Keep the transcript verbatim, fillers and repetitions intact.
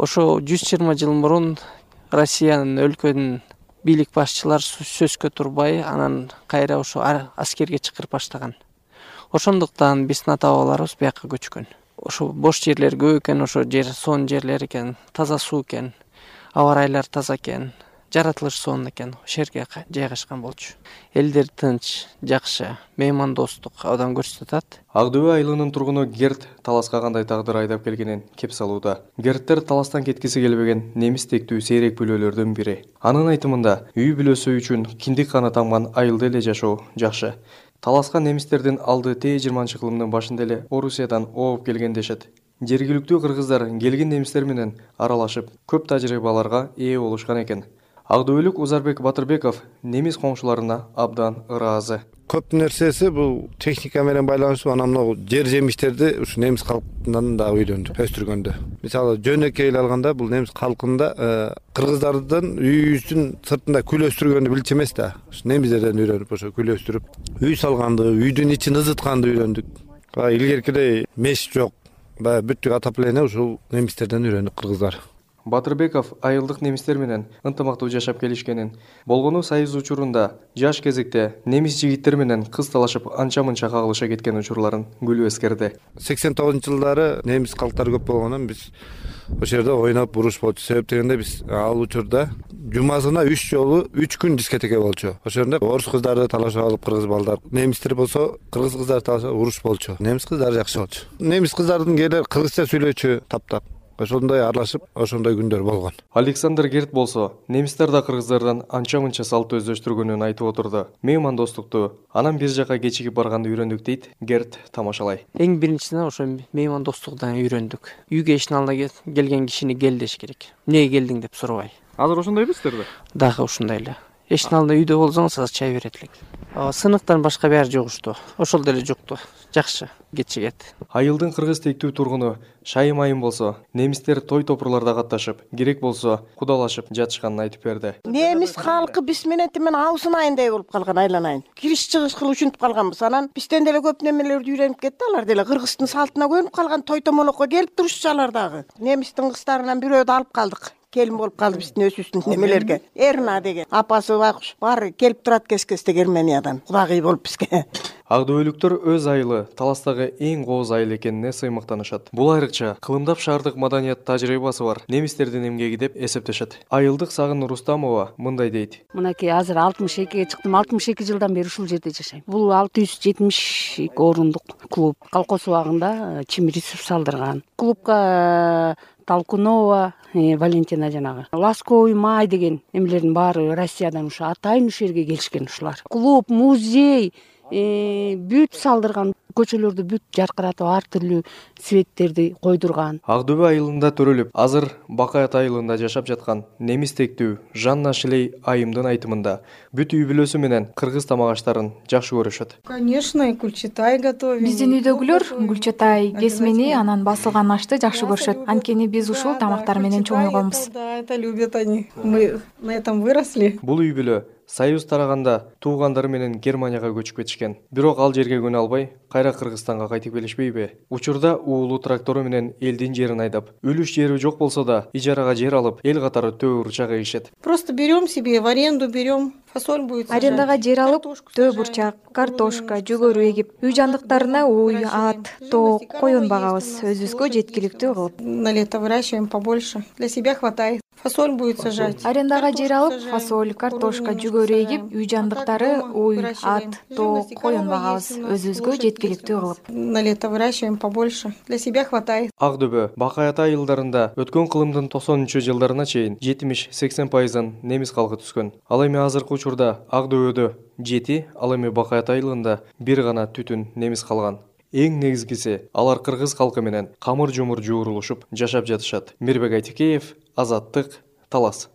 Ошо жүз жыйырма жыл мурун Россиянын өлкөнүн бийлик башчылары сөзгө турбай, анан кайра ошо аскерге чакырып баштаган. Ошондуктан биздин ата бабаларыбыз бияка көчкөн. Ошо бош жерлер көп экен, ошо жер сонун жерлер экен, таза суу экен, аба ырайлар таза экен, жаратылыш сонун экен, ошол жерге жайгашкан болчу. Элдер тынч, жакшы, меймандостук абдан көрсөтөт. Ак дөбө айылынын тургуну Герт Таласка кандай тагдыр айдап келгенин кеп салууда. Герттер Таластан кеткиси келбеген немис тектүү сейрек бүлөлөрдүн бири. Анын айтымында үй бүлөсү үчүн киндик каны тамган айылда эле жашоо жакшы. Таласка немистердин алды тээ жыйырманчы кылымдын башында эле Орусиядан ооп келген дешет. Жергиликтүү кыргыздар келген немистер менен аралашып, көп тажрыйбаларга ээ болушкан экен. Ак дөбөлүк Узарбек Батырбеков немис коңшуларына абдан ыраазы. Көп нерсеси бул техника менен байланыштуу. Анан могу жер жемиштерди ушу немис калкынан да үйрөндү, өстүргөндө. Мисалы жөнөкөй эле алганда бул немис калкында кыргыздардын үйүбүздүн сыртында күл өстүргөндү билчү эмес да. Ушу немистерден үйрөнүп ошо күл өстүрүп, үй салганды, үйдүн ичин ызытканды үйрөндүк. Илгеркидей меш жок. Баягы бүттүк отопление ушул немистерден үйрөндүк кыргыздар. Батырбеков айылдык немистер менен ынтымактуу жашап келишкенин, болгону союз учурунда жаш кезекте немис жигиттер менен кыз талашып анча-мынча кагылыша кеткен учурларын күлүп эскерди. сексен тогузунчу жылдары немис калктары көп болгондон биз ошол жерде ойноп буруш болчу. Себеп дегенде биз ал учурда жумасына үч жолу үч күн дискотека болчу. Ошол жерде орус кыздарды талашып алып кыргыз балдар, немистер болсо кыргыз кыздарды талашып уруш болчу. Немис кыздары жакшы болчу. Немис кыздардын кээде кыргызча сүйлөчү таптап. Ошондой аралашып, ошондой күндөр болгон. Александр Герт болсо, немистер да кыргыздардан анча-мынча салт өздөштүргөнүн айтып отурду. Меймандостукту анан бир жака кечигип барганды үйрөндүк дейт Герт, тамашалай. Эң биринчиден ошо меймандостуктан үйрөндүк. Үйгө эшиктин алдына келген кишини кел деш керек. Эмнеге келдиң деп сурабай. Азыр ошондой эмессиздерби? Дагы ушундай эле. Эшиктин алдында үйдө болсоңуз азыр чай берет элек. Сыныктан башка баары жугушту. Ошол деле жукту. Жакшы кечигет. Айылдын кыргыз тектүү тургуну Шайым айым болсо, немистер той топурларда катташып, керек болсо кудалашып жатышканын айтып берди. Немис калкы биз менен темен аузун айындай болуп калган, айланайын. Кириш чыгыш кылып ушинтип калганбыз. Анан бизден деле көп немелерди үйрөнүп кетти. Алар деле кыргыздын салтына көнүп калган, той томолокко келип турушчу алар дагы. Немистин кыздарынан бирөөдү алып калдык. Келин болуп калды биздин өсүбүздүн немелерге. Эрна деген апасы байкуш баары келип турат кез-кезде Германиядан. Кудагый болуп бизге. Ак дөбөлүктөр өз айылы Таластагы эң кооз айыл экенине сыймыктанышат. Бул айрыкча кылымдап шаардык маданият тажрыйбасы бар немистердин эмгеги деп эсептешет. Айылдык Сагын Рустамова мындай дейт. Мынакей азыр алтымыш экиге чыктым. алтымыш эки жылдан бери ушул жерде жашайм. Бул алты жүз жетимиш эки орундук клуб. Колхоз убагында Чимирисов салдырган. Клубка Толкунова, Валентина жанагы. Ласковый май деген эмелердин баары Россиядан ушу атайын ушул жерге келишкен ушулар. Клуб, музей, бүт салдырган, көчөлөрдү бүт жаркыратып, ар түрлүү светтерди койдурган. Ак дөбө айылында төрөлүп, азыр Бакаят айылында жашап жаткан немис тектүү Жанна Шилей айымдын айтымында бүт үй бүлөсү менен кыргыз тамак аштарын жакшы көрүшөт. Конечно, гүлчатай готовим. Биздин үйдөгүлөр гүлчатай, кесмени, анан басылган ашты жакшы көрүшөт. Анткени биз ушул тамактар менен чоңойгонбуз. Да, это любят они. Мы на этом выросли. Бул үй бүлө Союз тараганда туугандары менен Германияга көчүп кетишкен. Бирок ал жерге көнө албай, кайра Кыргызстанга кайтып келишпейби? Учурда уулу трактору менен элдин жерин айдап, үлүш жери жок болсо да ижарага жер алып, эл катары төө бурчак эгишет. Просто берем себе в аренду, берем, фасоль будет сажать. Арендага жер алып, төө бурчак, картошка, жүгөрү эгип, үй жандыктарына уй, ат, тоок, койон багабыз, өзүбүзгө жеткиликтүү кылып. На лето выращиваем побольше. Для себя хватает. Фасоль будет сажать. Арендага жер алып, фасоль, картошка, жүгөрү эгип, үй жандыктары уй, ат, тоок, койон багабыз, өзүбүзгө жеткиликтүү кылып. На лето выращиваем побольше. Для себя хватает. Ак дөбө, Бакаят айылдарында өткөн кылымдын токсонунчу жылдарына чейин жетимиш-сексен пайызын немис калкы түскөн. Ал эми азыркы учурда Ак дөбөдө жети, ал эми Бакаят айылында бир гана түтүн немис калган. Эң негизгиси, алар кыргыз калкы менен камыр-жумур жуурулушуп жашап жатышат. Мирбек Айтикеев, Азаттык, Талас.